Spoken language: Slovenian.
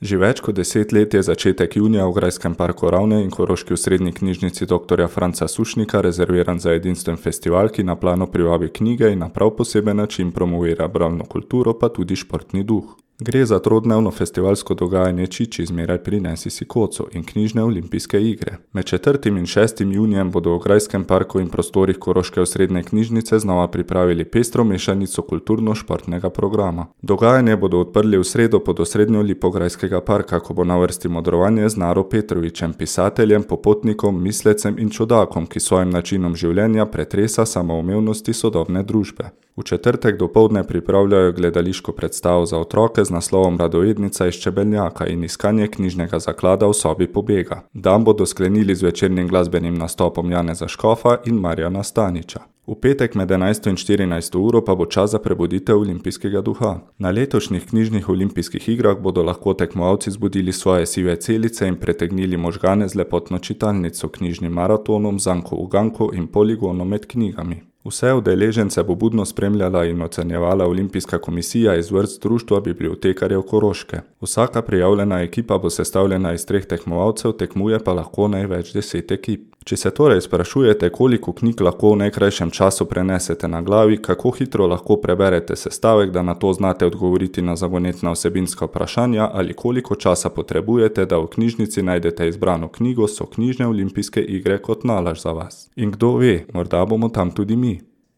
Že več kot 10 let je začetek junija v Grajskem parku Ravne in Koroški osrednji knjižnici dr. Franca Sušnika rezerviran za edinstven festival, ki na plano privabi knjige in na prav poseben način promovira bralno kulturo, pa tudi športni duh. Gre za trodnevno festivalsko dogajanje Čiči, zmeraj prinesi si koco in knjižne olimpijske igre. Med 4. in 6. junijem bodo v Grajskem parku in prostorih Koroške osrednje knjižnice znova pripravili pestro mešanico kulturno-športnega programa. Dogajanje bodo odprli v sredo pod osrednjo lipo Grajskega parka, ko bo na vrsti modrovanje z Naro Petrovićem, pisateljem, popotnikom, mislecem in čudakom, ki svojim načinom življenja pretresa samoumevnosti sodobne družbe. V četrtek dopoldne pripravljajo gledališko predstavo za otroke z naslovom Radovednica iz Čebelnjaka in iskanje knjižnega zaklada v sobi pobega. Dan bodo sklenili z večernim glasbenim nastopom Janeza Škofa in Marjana Staniča. V petek med 11. in 14. uro pa bo čas za prebuditev olimpijskega duha. Na letošnjih knjižnih olimpijskih igrah bodo lahko tekmovalci zbudili svoje sive celice in pretegnili možgane z lepotno čitalnico, knjižnim maratonom, zanko uganko in poligonom med knjigami. Vse udeležence bo budno spremljala in ocenjevala Olimpijska komisija iz vrst Društva bibliotekarjev Koroške. Vsaka prijavljena ekipa bo sestavljena iz 3 tekmovalcev, tekmuje pa lahko največ 10 ekip. Če se torej sprašujete, koliko knjig lahko v najkrajšem času prenesete na glavi, kako hitro lahko preberete sestavek, da na to znate odgovoriti na zagonetna vsebinska vprašanja ali koliko časa potrebujete, da v knjižnici najdete izbrano knjigo, so knjižne olimpijske igre kot nalašč za vas. In kdo ve, morda bomo tam tudi mi.